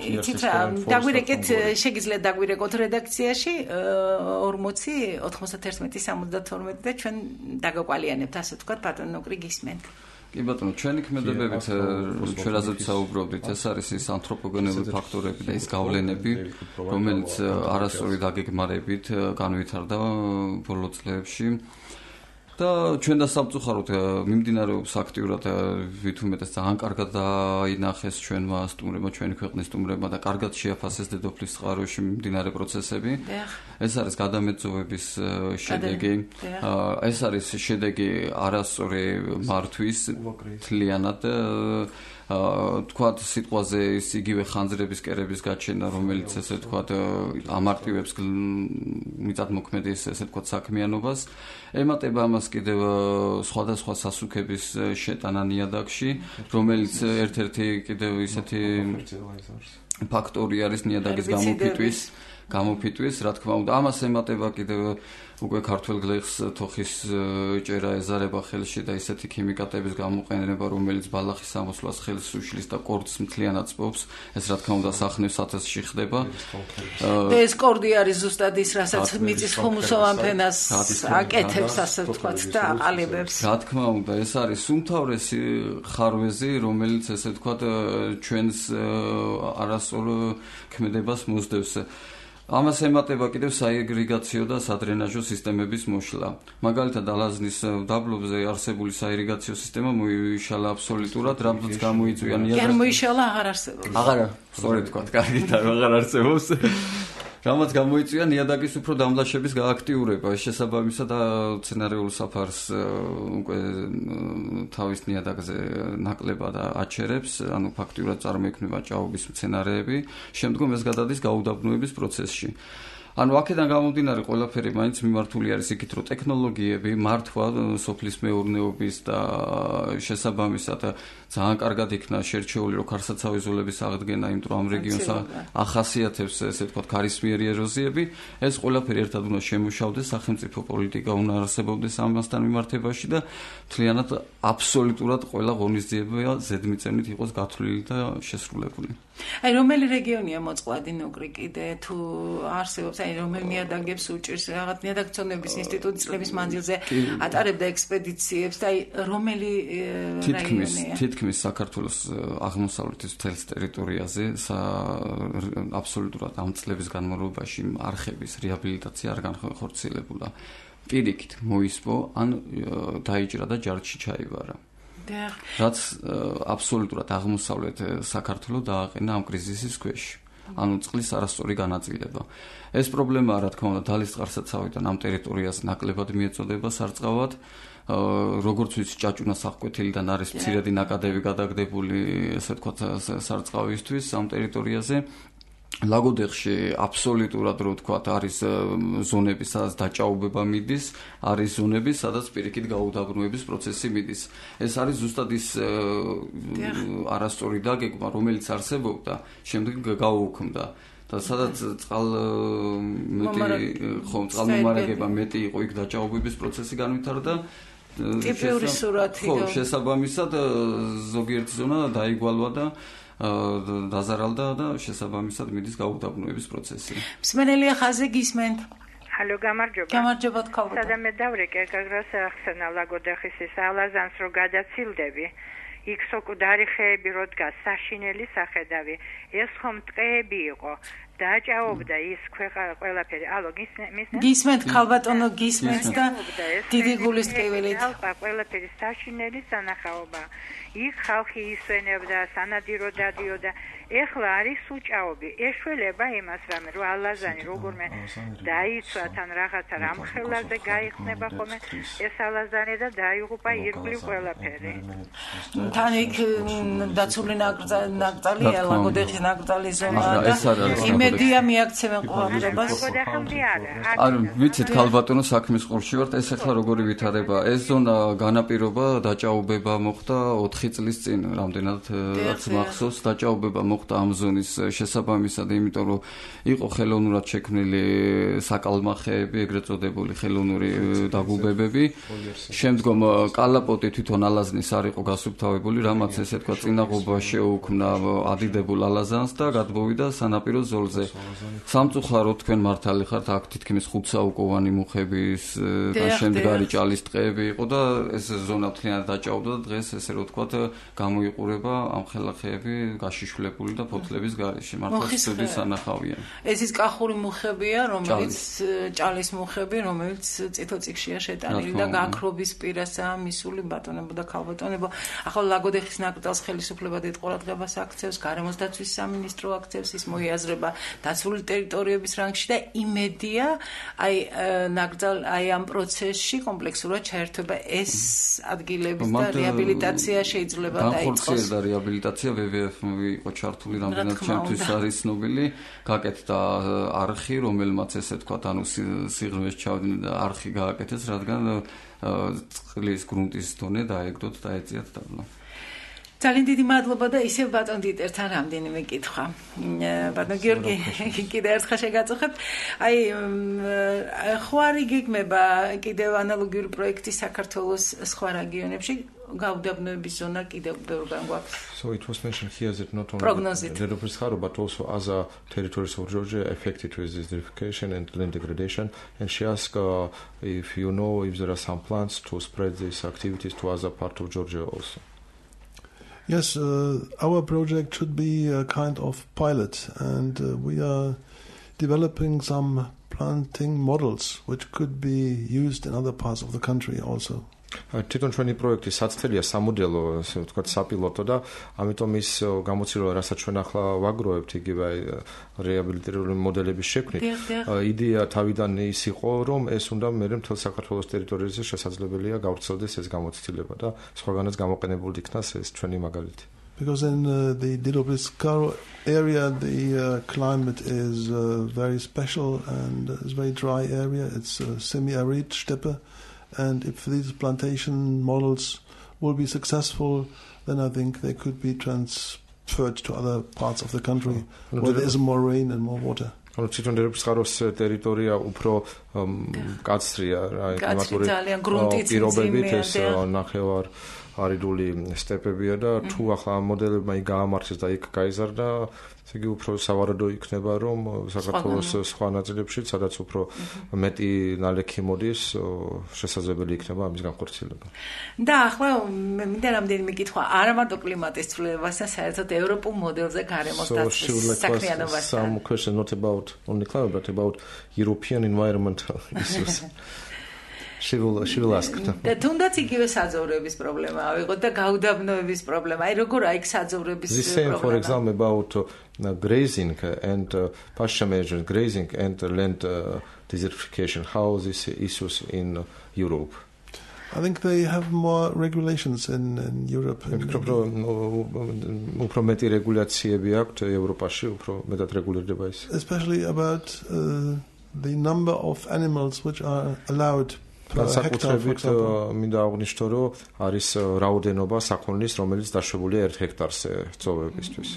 იცით რა, დაგვირეკეთ, შეგიძლიათ დაგვირეკოთ რედაქციაში ორმოცი ოთხმოცდაერთმეტი სამოცდათორმეტი და ჩვენ დაგაკვალიანებთ, ასე ვთქვათ, ბატონ ნუკრი გისმენთ. კი ბატონო, ჩვენი ქმედებებით ჩვენ რაზეც საუბრობდით, ეს არის ის ანთროპოგენური ფაქტორები და ის გავლენები, რომელიც არასწორი დაგეგმარებით განვითარდა ბოლო წლებში. და ჩვენ და სამწუხაროდ მიმდინარეობს აქტიურად ვით უმეტეს ძალიან კარგად დაინახეს ჩვენმა სტუმრებმა, ჩვენი ქვეყნის სტუმრებმა და კარგად შეაფასეს დედოფლის წყაროში მიმდინარე პროცესები. ეს არის გადამეწოვების შედეგი. ეს არის შედეგი არასწორი მართვის თლიანად თქვათ სიტყვაზე ის იგივე ხანძრების კერების გაჩენა, რომელიც ესე თქვათ ამარტივებს მიწათმოქმედის ესე თქვათ საქმიანობას, ემატება ამას კიდევ სხვადასხვა სასუქების შეტანა ნიადაგში, რომელიც ერთ-ერთი კიდევ ისეთი ფაქტორი არის ნიადაგის გამოფიტვის გამოფიტვის, რა თქმა უნდა, ამას ემატება კიდევ უკვე ქართველ გლეხს თოხის ჭერა ეზარება ხელში და ისეთი ქიმიკატების გამოყენება, რომელიც ბალახის ამოსვლას ხელს უშლის და კორდს მთლიანად წბობს, ეს რა თქმა უნდა სახნევ სათესში ხდება. და ეს კორდი არის ზუსტად ის, რასაც მიწის ხუმუსოვან ფენას აკეთებს, ასე ვთქვათ, და აყალიბებს. რა თქმა უნდა, ეს არის უმთავრესი ხარვეზი, რომელიც ესე ვთქვათ ჩვენს არასწორ ქმედებას მოსდევს. ამას ემატება კიდევ საირიგაციო და სადრენაჟო სისტემების მოშლა. მაგალითად, ალაზნის დაბლობზე არსებული საირიგაციო სისტემა მოიშალა აბსოლუტურად, რამაც გამოიწვია ნიადაგს. კი, მოიშალა, აღარ არსებობს. აღარა, სწორედ თქვა, კარგით, აღარ არსებობს. რამაც გამოიწვია ნიადაგის უფრო დამლაშების გააქტიურება, შესაბამისად მცენარეულ საფარს უკვე თავის ნიადაგზე ნაკლებად აჩერებს, ანუ ფაქტიურად წარმოიქმნება ჭაობის მცენარეები, შემდგომ ეს გადადის გაუდაბნოების პროცესში. ანუ აქედან გამომდინარე ყველაფერი მაინც მიმართული არის იქით, რომ ტექნოლოგიები, მართვა სოფლის მეურნეობის და შესაბამისად ძალიან კარგად იქნა შერჩეული, რომ ქარსაცავი ზოლების აღდგენა, იმიტომ რომ ამ რეგიონს ახასიათებს ესე ვთქვათ ქარისმიერი ეროზიები, ეს ყველაფერი ერთად უნდა შემუშავდეს, სახელმწიფო პოლიტიკა უნდა არსებობდეს ამასთან მიმართებაში და მთლიანად აბსოლუტურად ყველა ღონისძიება ზედმიწევნით იყოს გათვლილი და შესრულებული. აი რომელი რეგიონია მოწყვლადი ნუკრი კიდე თუ არსებობს? აი რომელ ნიადაგებს უჭირს რაღაც ნიადაგცოდნების ინსტიტუტის წლების მანძილზე ატარებდა ექსპედიციებს და აი რომელი რაიონია თითქმის საქართველოს აღმოსავლეთის მთელს ტერიტორიაზე აბსოლუტურად ამ წლების განმავლობაში არხების რეაბილიტაცია არ განხორციელებულა. პირიქით მოისპო ან დაიჭრა და ჯარში ჩაიბარა. რაც აბსოლუტურად აღმოსავლეთ საქართველოს დააყენა ამ კრიზისის ქვეშ. ანუ წყლის არასწორი განაწილება. ეს პრობლემაა, რა თქმა უნდა, დალის წყარსაცავიდან ამ ტერიტორიას ნაკლებად მიეწოდება სარწყავად. როგორც ვიცი, ჭაჭუნას აღკვეთილიდან არის მცირედი ნაკადები გადაგდებული, ესე ვთქვათ, სარწყავისთვის ამ ტერიტორიაზე. ლაგოდეხში აბსოლუტურად რო ვთქვათ არის ზონები, სადაც დაჭაობება მიდის, არის ზონები, სადაც პირიქით გაუდაბრუნების პროცესი მიდის. ეს არის ზუსტად ის არასწორი დაგეგმა, რომელიც არსებობდა, შემდეგ გაუუქმდა. და სადაც წყალ მეტი ხო წყალმომარაგება მეტი იყო, იქ დაჭაობების პროცესი განვითარდა. ტიპიური სურათი. ხო, შესაბამისად ზოგიერთი ზონა დაიგვალვა და დაზარალდა და შესაბამისად მიდის გაუდაბრუნების პროცესი. მსმენელია ხაზე გისმენთ. ჰალო, გამარჯობა. გამარჯობა თქო. სადამე დავრეკე გაგრას ახსენა ლაგოდეხის ის ალაზანს რო გადაცილდები. იქ სოკუდარი ხეები რო დგას, საშინელი სახედავი. ეს ხომ ტყეები იყო. დაჭაობდა ის ყველაფერი. ალო, გისმენთ? გისმენთ ხალბატონო, გისმენთ და დიდი გულის ტკივილით. ყველაფერი საშინელი სანახაობა. იქ ხალხი ისვენებდა, სანადირო დადიოდა. ეხლა არის უჭაობი. ეშველება იმას რამე, რომ ალაზანი როგორმე დაიცვა თან რაღაცა რამ ხელაზე გაიხსნება ხოლმე ეს ალაზანი და დაიღუპა ირგვლივ ყველაფერი. თან იქ დაცული ნაკრძალია, ლაგოდეხის ნაკრძალი ზონაა და იმედია მიაქცევენ ყურადღებას. ლაგოდეხამდე არა. ანუ ვიცით ქალბატონო საქმის ყურში ვართ, ეს ახლა როგორი ვითარება. ეს ზონა განაპირობა დაჭაობება მოხდა ოთხი წლის წინ, რამდენად რაც მახსოვს, დაჭაობება მოხდა ამ ზონის შესაბამისად, იმიტომ რომ იყო ხელოვნურად შექმნილი საკალმახეები, ეგრეთ წოდებული ხელოვნური დაგუბებები. შემდგომ კალაპოტი თვითონ ალაზნის არ იყო გასუფთავებული, რამაც ესე თქვა წინაღობა შეუქმნა ადიდებულ ალაზანს და გადმოვიდა სანაპირო ზოლზე. სამწუხაროდ თქვენ მართალი ხართ, აქ თითქმის ხუთ საუკოვანი მუხების და შემდგარი ჭალის ტყეები იყო და ეს ზონა მთლიანად დაჭაობდა და დღეს ესე რო თქვა გამოიყურება ამ ხელახეები გაშიშვლებული და ფოთლების გარეშე. მართლა ცუდი სანახავია. ეს ის კახური მუხებია, რომელიც ჭალის მუხები, რომელიც წითლწიგშია შეტანილი და გაქრობის პირასაა მისული ბატონებო და ქალბატონებო. ახლა ლაგოდეხის ნაკრძალს ხელისუფლება დიდ ყურადღებას აქცევს, გარემოს დაცვის სამინისტრო აქცევს, ის მოიაზრება დაცული ტერიტორიების რანგში და იმედია აი ნაკრძალ აი ამ პროცესში კომპლექსურად ჩაერთვება ეს ადგილების და რეაბილიტაცია შეიძლება დაიწყოს. განხორციელდა რეაბილიტაცია, ვე ვე ეფ იყო ჩართული რამდენად ჩემთვის არის ცნობილი, გაკეთდა არხი, რომელმაც ესე თქვა, ანუ სიღრმეში ჩავდნენ და არხი გააკეთეს, რადგან წყლის გრუნტის დონე დაეგდოთ და ეწიათ დაბლა. ძალიან დიდი მადლობა და ისევ ბატონ დიტერთან რამდენიმე კითხვა. ბატონ გიორგი, კიდევ ერთხელ შეგაწუხებთ. აი ხო არ იგეგმება კიდევ ანალოგიური პროექტი საქართველოს სხვა რეგიონებში? გაუდაბნოების ზონა კიდევ ბევრგან გვაქვს. So it was mentioned here that not only Prognosit. the developers Haro, but also other territories of Georgia affected with this desertification and land degradation. And she asked uh, if you know if there are some plans to spread these activities to other parts of Georgia also. Yes, uh, our project should be a kind of pilot, and uh, we are developing some planting models which could be used in other parts of the country also. თვითონ ჩვენი პროექტი საცდელია სამოდელო, ასე ვთქვათ, საპილოტო და ამიტომ ის გამოცდილება, რასაც ჩვენ ახლა ვაგროვებთ, იგივე რეაბილიტირებული მოდელების შექმნით. იდეა თავიდან ის იყო, რომ ეს უნდა მერე მთელ საქართველოს ტერიტორიაზე შესაძლებელია გავრცელდეს ეს გამოცდილება და სხვაგანაც გამოყენებული იქნას ეს ჩვენი მაგალითი. Because in uh, the Dilopis-Karo area, the uh, climate is uh, very special and it's a very dry area. It's uh, semi-arid steppe. And if these plantation models will be successful, then I think they could be transferred to other parts of the country oh. where there is more rain and more water. ანუ თვითონ დერეფსხაროს ტერიტორია უფრო კაცრია რა კლიმატური პირობებით ეს ნახევარ არიდული სტეპებია და თუ ახლა ამ მოდელებმა იქ გაამართლეს და იქ გაიზარდა, ესე იგი უფრო სავარაუდო იქნება, რომ საქართველოს სხვა ნაწილებში, სადაც უფრო მეტი ნალექი მოდის, შესაძლებელი იქნება ამის განხორციელება. და ახლა მე მინდა რამდენიმე კითხვა არა მარტო კლიმატის ცვლილებასთან, საერთოდ ევროპულ მოდელზე გარემოს დაცვის საქმიანობასთან. Some questions not about only climate but about European environmental issues. She will, she will ask. და თუნდაც იგივე საძოვრების პრობლემა ავიღოთ და გაუდაბნოების პრობლემა. აი როგორ აი საძოვრების პრობლემა. The same for example about uh, grazing and uh, pasture management, grazing and land uh, desertification. How these issues in uh, Europe? I think they have more regulations in, in Europe. უფრო მეტი რეგულაციები აქვთ ევროპაში, უფრო მეტად რეგულირდება ის. Especially about uh, the number of animals which are allowed per hectare, for example. მინდა აღვნიშნო, რომ არის რაოდენობა საქონლის, რომელიც დაშვებულია ერთ ჰექტარზე ძოვებისთვის.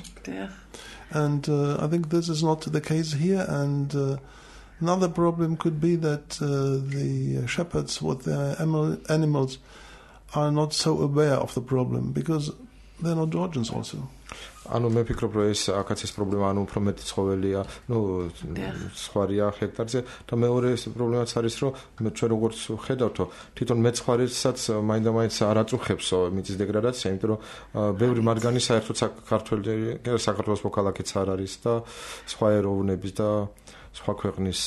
And uh, I think this is not the case here, and uh, another problem could be that uh, the shepherds with their animals are not so aware of the problem because they're not Georgians also. ანუ მე ვფიქრობ, რომ ეს აქაც ეს პრობლემა, ანუ უფრო მეტი ცხოველია, ნუ სხვარია ჰექტარზე და მეორე ეს პრობლემაც არის, რომ მე ჩვენ როგორც ხედავთო, თვითონ მეცხვარესაც მაინდა-მაინც არ აწუხებს მიწის დეგრადაცია, იმიტომ რომ ბევრი მათგანი საერთოდ საქართველოს საქართველოს მოქალაქეც არ არის და სხვა ეროვნების და სხვა ქვეყნის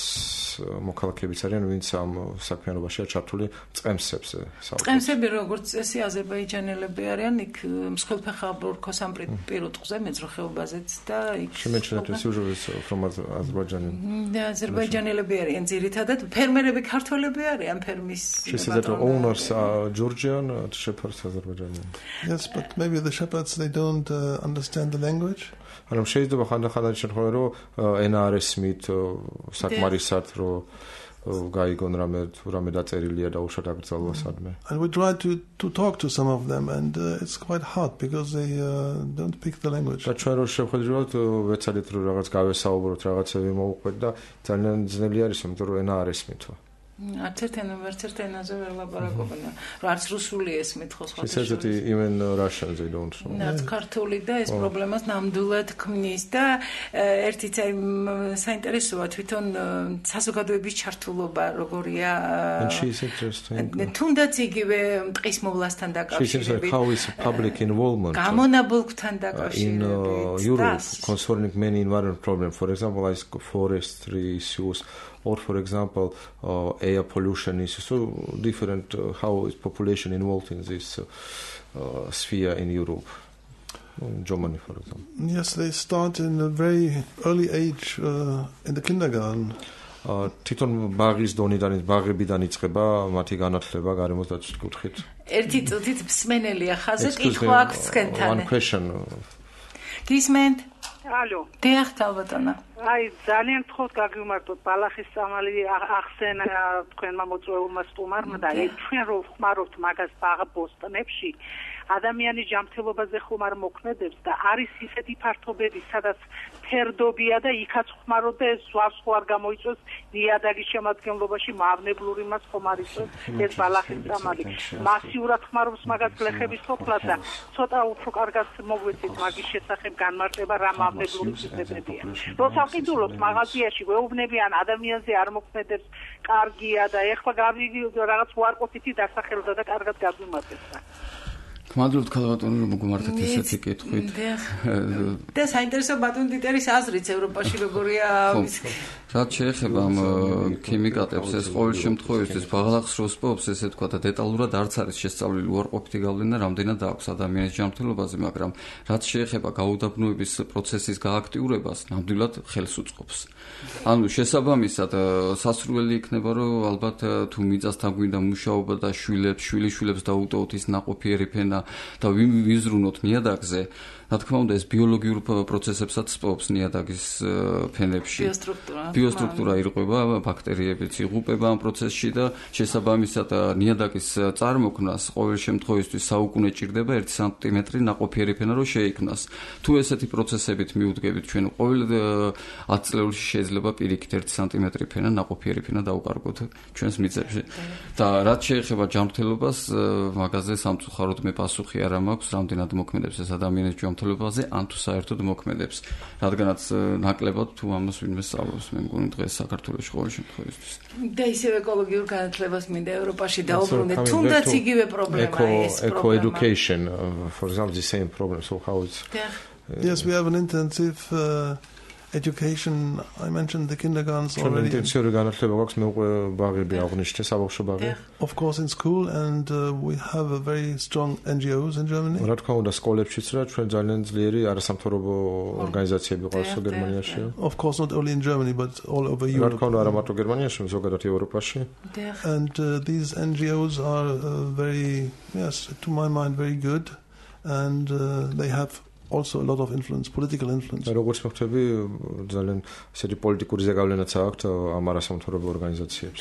მოქალაქეებიც არიან, ვინც ამ საქმიანობაშია ჩართული წყემსებზე. წყემსები როგორც წესი აზერბაიჯანელები არიან, იქ მსხვილფეხა ბურქოს ამ პირუტყზე მეძროხეობაზეც და იქ She-mentioned that usually from Azerbaijan. და აზერბაიჯანელები არიან ძირითადად, ფერმერები ქართველები არიან ფერმის. She said that the owners are Georgian, the shepherds Azerbaijani. Yes, but maybe the shepherds they don't uh, understand the language. ანუ შეიძლება ხანდახან შემთხვევა, რომ ენა არ ესმით საკმარისად, რომ გაიგონ რამე რამე დაწერილია და უშად აკრძალვა სადმე. And we try to to talk to some of them and uh, it's quite hard because they uh, don't speak the language. და ჩვენ რო შევხედავთ, ვეცადეთ რომ რაღაც გავესაუბროთ, რაღაცები მოვუყვეთ და ძალიან ძნელი არის, იმიტომ რომ ენა არ ესმითო. არც ერთენო ვერც ერთ ენაზე ვერ ლაპარაკობენ. რომ არც რუსული ესმით ხო სხვა. She says that even Russian they don't know. რაც ქართული და ეს პრობლემას ნამდვილად ქმნის და ერთიც აი საინტერესოა თვითონ საზოგადოების ჩართულობა როგორია. And she is interesting. თუნდაც იგივე ტყის მოვლასთან დაკავშირებით. How is public involvement გამონაბოლქვთან დაკავშირებით. In Europe concerning many environmental problems, for example, like forestry issues, or for example uh, air pollution is so different uh, how is population involved in this uh, uh, sphere in Europe, in Germany for example. Yes, they start in a very early age uh, in the kindergarten. თვითონ ბაღის დონიდან ბაღებიდან იწყება მათი განათლება გარემოს დაცვის კუთხით. ერთი წუთით მსმენელია ხაზე კითხვა აქვს თქვენთან. One question. გისმენთ? ალო. დიახ, ალბათონა. აი ძალიან გთხოვთ გაგიმართოთ ბალახის წამალი ახსენა თქვენმა მოწვეულმა სტუმარმა და აი ჩვენ რო ხმარობთ მაგას ბაღ ბოსტნებში ადამიანის ჯანმრთელობაზე ხუმარ მოქმედებს და არის ისეთი ფართობები, სადაც ფერდობია და იქაც ხმარობ და ეს ზვარს ხო არ გამოიწვევს ნიადაგის შემადგენლობაში მავნებლური მას ხომ არ იწვევს ეს ბალახის წამალი. მასიურად ხმარობს მაგას გლეხების სოფლა და ცოტა უფრო კარგად მოგვეცით მაგის შესახებ განმარტება რა მავნებლური სისტემებია. როცა ვყიდულობთ მაღაზიაში ვეუბნებიან ადამიანზე არ მოქმედებს კარგია და ეხლა გავიგი რაღაც უარყოფითი დასახელდა და კარგად გაგვიმართებდა. მადლობთ ქალბატონო რომ მოგმართეთ ესეთი კითხვით. და საინტერესო ბატონ დიტერის აზრიც ევროპაში როგორია ის. რაც შეეხება ამ ქიმიკატებს, ეს ყოველ შემთხვევაში ბაღლახს რო სპობს, ესე თქვა და დეტალურად არც არის შესწავლილი უარყოფითი გავლენა რამდენად აქვს ადამიანის ჯანმრთელობაზე, მაგრამ რაც შეეხება გაუდაბნოების პროცესის გააქტიურებას, ნამდვილად ხელს უწყობს. ანუ შესაბამისად სასურველი იქნება, რომ ალბათ თუ მიწასთან გვინდა მუშაობა და შვილებს, შვილიშვილებს დაუტოვოთ ის ნაყოფიერი ფენა და ვიზრუნოთ ნიადაგზე, რა თქმა უნდა ეს ბიოლოგიურ პროცესებსაც სპობს ნიადაგის ფენებში. ბიოსტრუქტურა. ბიოსტრუქტურა ირღვევა, ბაქტერიებიც იღუპება ამ პროცესში და შესაბამისად ნიადაგის წარმოქმნას ყოველ შემთხვევაში საუკუნე ჭირდება ერთი სანტიმეტრი ნაყოფიერი ფენა რომ შეიქმნას. თუ ესეთი პროცესებით მიუდგებით ჩვენ ყოველ ათი წლებში შეიძლება პირიქით ერთი სანტიმეტრი ფენა ნაყოფიერი ფენა დავუკარგოთ ჩვენს მიწებში. და რაც შეეხება ჯანმრთელობას, მაგაზე სამწუხაროდ მე პასუხი არ მაქვს, რამდენად მოქმედებს ეს ადამიანის ჯანმრთელობაზე, ან თუ საერთოდ მოქმედებს. რადგანაც ნაკლებად თუ ამას ვინმე სწავლობს, მე მგონი დღეს საქართველოში ყოველ შემთხვევაში. და ისევ ეკოლოგიურ განათლებას მინდა ევროპაში დაუბრუნდეთ, თუნდაც იგივე პრობლემაა ეს პრობლემა. Eco education, uh, for example, the same problem. So how it's Yes, we have an intensive uh, education. I mentioned the kindergartens already. Of course, in school, and uh, we have a very strong N G Os in Germany. Of course, not only in Germany, but all over Europe. And uh, these N G Os are uh, very, yes, to my mind, very good, and uh, they have also a lot of influence, political influence. როგორც მოხდები, ძალიან ისეთი პოლიტიკური ზეგავლენაც აქვს ამ არასამთავრობო ორგანიზაციებს.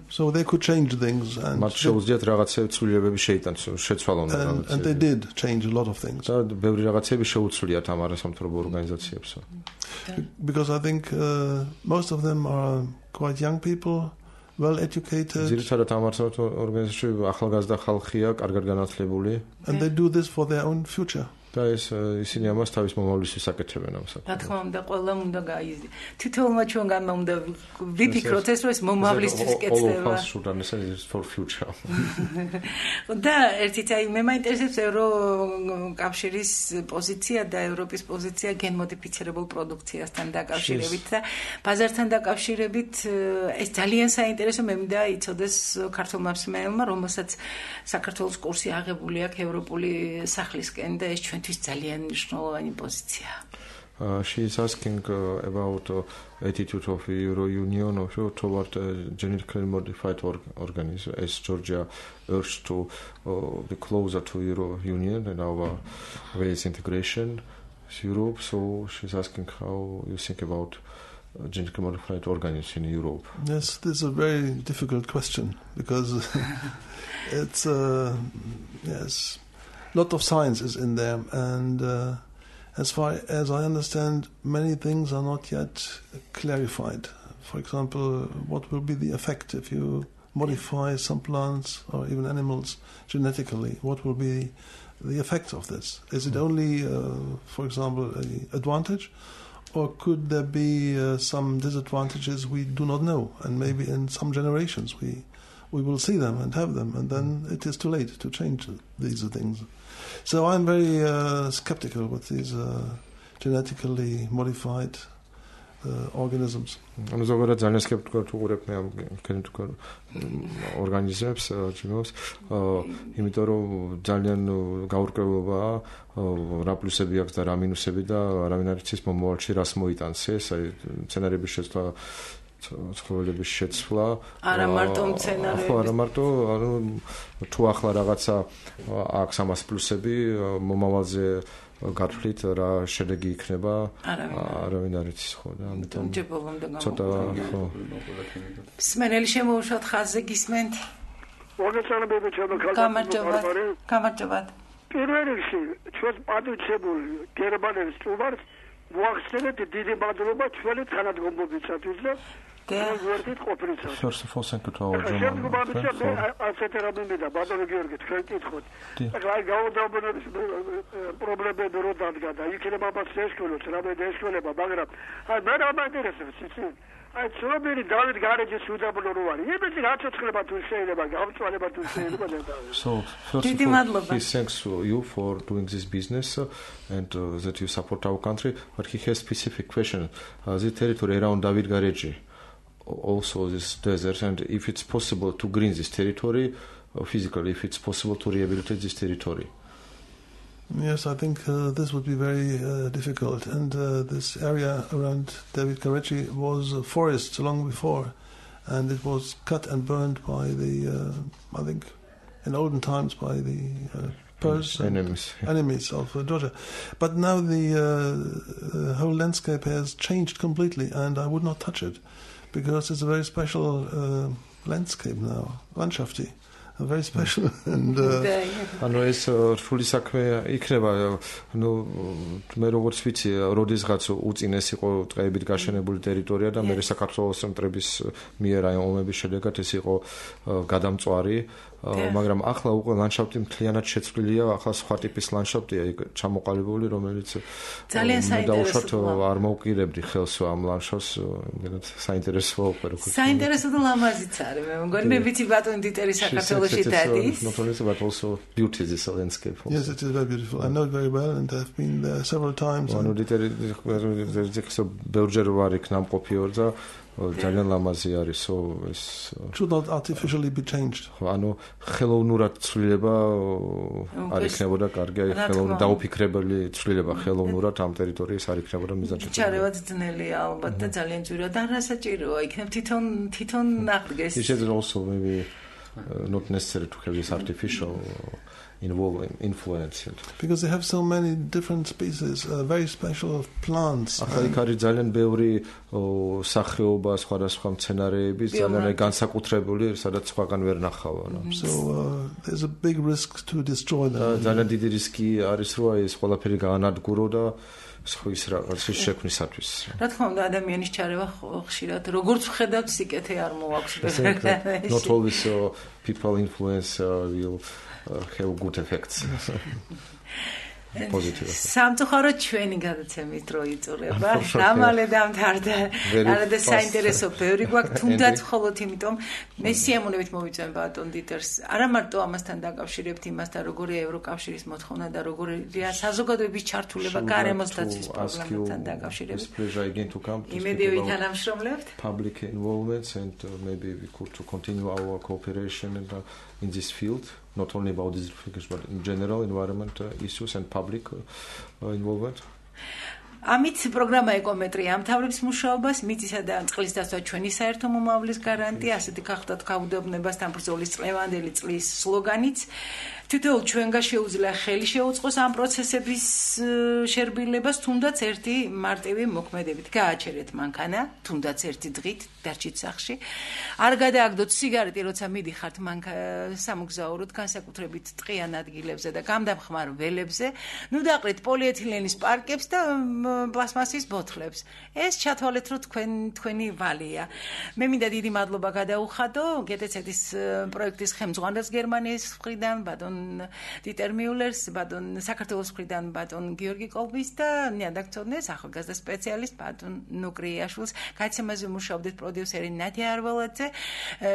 So they could change things and მათ შეუძლიათ რაღაცები ცვლილებები შეიტანს, შეცვალონ რაღაცები. And they did change a lot of things. და ბევრი რაღაცები შეუცვლიათ ამ არასამთავრობო ორგანიზაციებს. Because I think uh, most of them are quite young people, well educated. ძირითადად ამ არასამთავრობო ორგანიზაციებში ახალგაზრდა ხალხია, კარგად განათლებული. And they do this for their own future. და ეს ისინი ამას თავის მომავლისთვის აკეთებენ ამ საქმეს. რა თქმა უნდა, ყველამ უნდა გაიზ. თითოეულმა ჩვენ გამა უნდა ვიფიქროთ ეს, რომ ეს მომავლისთვის კეთდება. for future. და ერთით აი მე მაინტერესებს ევროკავშირის პოზიცია და ევროპის პოზიცია გენმოდიფიცირებულ პროდუქციასთან დაკავშირებით და ბაზართან დაკავშირებით ეს ძალიან საინტერესო მე მინდა იცოდეს ქართულმა მსმენელმა, რომელსაც საქართველოს კურსი აღებული აქვს ევროპული სახლისკენ და ეს ჩვენთვის ძალიან მნიშვნელოვანი პოზიცია. Uh, she is asking uh, about uh, attitude of Euro Union of, toward uh, genetically modified org organisms as Georgia urged to uh, be closer to Euro Union and our ways integration with Europe. So she's asking how you think about uh, genetically modified organisms in Europe. Yes, this is a very difficult question because it's uh, yes, a lot of science is in there, and uh, as far as I understand, many things are not yet clarified. For example, what will be the effect if you modify some plants or even animals genetically? What will be the effect of this? Is it only, uh, for example, an advantage, or could there be uh, some disadvantages we do not know? And maybe in some generations we we will see them and have them, and then it is too late to change these things. So I'm very uh, skeptical with these uh, genetically modified uh, organisms. I'm ზოგადად ძალიან skeptical ვუყურებ მე ამ genetically ორგანიზმებს, ჯიმოს, იმიტომ რომ ძალიან გაურკვევლობაა რა პლუსები აქვს და რა მინუსები და არავინ არ იცის მომავალში რას მოიტანს ეს, აი სცენარების შეცვლა ცხოველების შეცვლა არა მარტო მცენარეების არა მარტო ანუ თუ ახლა რაღაცა აქვს ამას პლუსები მომავალზე გათვლით რა შედეგი იქნება არავინ არ იცის ხო და ამიტომ ცოტა ხო სმენელი შემოუშვათ ხაზზე გისმენთ მოგეწონებები ჩემო გამარჯობათ გამარჯობათ პირველ რიგში ჩვენ პატრიოტები გერმანიის სტუმარს მოახსენეთ დიდი მადლობა ჩვენი თანადგომობისათვის და First of all, thank you to our German friend for... I saw many David garages with a blue. Even the about to say about about to say. So, first of all, he thanks you for doing this business uh, and uh, that you support our country. But he has specific question. Uh, the territory around David Garage, also this desert, and if it's possible to green this territory, uh, physically, if it's possible to rehabilitate this territory. Yes, I think uh, this would be very uh, difficult. And uh, this area around David Karachi was uh, forests long before, and it was cut and burned by the, uh, I think, in olden times by the uh, Pers enemies, enemies of uh, Georgia. But now the, uh, the whole landscape has changed completely, and I would not touch it because it's a very special uh, landscape now, landschafty. Very special and ანუ ეს რთული საქმე იქნება ნუ მე როგორც ვიცი როდესღაც უწინეს იყო ტყეებით გაშენებული ტერიტორია და მე საქართველოს ცენტრების მიერ აი ომების შედეგად ეს იყო გადამწვარი მაგრამ ახლა უკვე ლანდშაფტი მთლიანად შეცვლილია, ახლა სხვა ტიპის ლანდშაფტია, იქ ჩამოყალიბებული, რომელიც ძალიან საინტერესო არ მოვკირებდი ხელს ამ ლანდშაფტს, იმედად საინტერესოა უკვე როგორ. საინტერესო და ლამაზიც არის, მე მგონი მე ვიცი ბატონი დიტერი საქართველოში დადის. Not only but also beauty this landscape. Also. Yes, it is very beautiful. I know it very well and I've been there several times. ანუ დიტერი ზექსო ბევრჯერ ვარ იქ ნამყოფი ორ და ძალიან ლამაზი არის, so ეს should not artificially be changed. ანუ ხელოვნურად ცვლილება არ იქნებოდა კარგი, აი ხელოვნურად დაუფიქრებელი ცვლილება ხელოვნურად ამ ტერიტორიის არ იქნებოდა მიზანჭი. ჩარევად ძნელია ალბათ და ძალიან ძვირა და არასაჭიროა, იქნებ თვითონ თვითონ აღდგეს. It is also maybe uh, not necessary to have this artificial involving influence because they have so many different species, uh, very special plants. ახლა იქ არის ძალიან ბევრი სახეობა, სხვადასხვა მცენარეები, ძალიან განსაკუთრებული, სადაც სხვაგან ვერ ნახავ. So uh, there's a big risk to destroy them. ძალიან დიდი რისკი არის, რომ ეს ყველაფერი გაანადგურო და სხვის რაღაცის შექმნისათვის. რა თქმა უნდა, ადამიანის ჩარევა ხშირად როგორც ვხედავთ, სიკეთე არ მოაქვს. Not always uh, people influence uh, will uh, have good effects. Positive. სამწუხაროდ ჩვენი გადაცემის დრო იწურება. დამალე დამთავრდა. არა და საინტერესო ბევრი გვაქვს, თუნდაც მხოლოდ იმიტომ მე სიამოვნებით მოვიწვევ ბატონ დიტერს. არა მარტო ამასთან დაკავშირებთ იმასთან, როგორია ევროკავშირის მოთხოვნა და როგორია საზოგადოების ჩართულება გარემოს დაცვის პრობლემასთან დაკავშირებით. იმედი ვითანამშრომლებთ. Public involvement and uh, maybe we could to continue our cooperation in, uh, in this field. Not only about these figures, but in general environment uh, issues and public uh, involvement. ამით პროგრამა ეკომეტრია ამთავრებს მუშაობას, მიწისა და წყლის დაცვა ჩვენი საერთო მომავლის გარანტია, ასეთი გახდათ გაუდაბნებასთან ბრძოლის წლევანდელი წლის სლოგანიც. თითოეულ ჩვენგან შეუძლია ხელი შეუწყოს ამ პროცესების შერბილებას, თუნდაც ერთი მარტივი მოქმედებით. გააჩერეთ მანქანა, თუნდაც ერთი დღით დარჩით სახლში. არ გადააგდოთ სიგარეტი, როცა მიდიხართ სამოგზაუროდ, განსაკუთრებით ტყიან ადგილებზე და გამდამხმარ ველებზე. ნუ დაყრით პოლიეთილენის პარკებს და პლასმასის ბოთლებს. ეს ჩათვალეთ, რომ თქვენ თქვენი ვალია. მე მინდა დიდი მადლობა გადაუხადო გეტეცეთის პროექტის ხელმძღვანელს გერმანიის მხრიდან, ბატონ დიტერ მიულერს, ბატონ საქართველოს მხრიდან ბატონ გიორგი კოლბის და ნიადაგწოდნეს ახალგაზრდა სპეციალისტ ბატონ ნუკრიაშვილს. გადაცემაზე მუშაობდით პროდიუსერი ნადია არველაძე,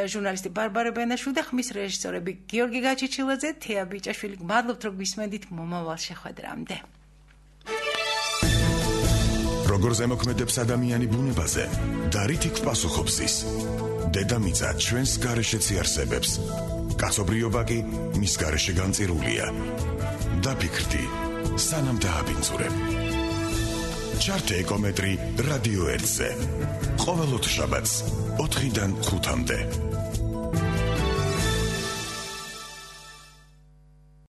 ჟურნალისტი ბარბარე ბენაშვილი და ხმის რეჟისორები გიორგი გაჩიჩილაძე, თეა ბიჭაშვილი. მადლობთ, რომ გვისმენდით მომავალ შეხვედრამდე. როგორ ზემოქმედებს ადამიანი ბუნებაზე და რითი გვპასუხობს ის? დედამიწა ჩვენს გარეშეც იარსებებს. კაცობრიობა კი მის გარეშე განწირულია. დაფიქრდი, სანამ დააბინძურებ. ჩართე ეკომეტრი რადიო ერთზე. ყოველ ოთხშაბათს ოთხიდან ხუთამდე.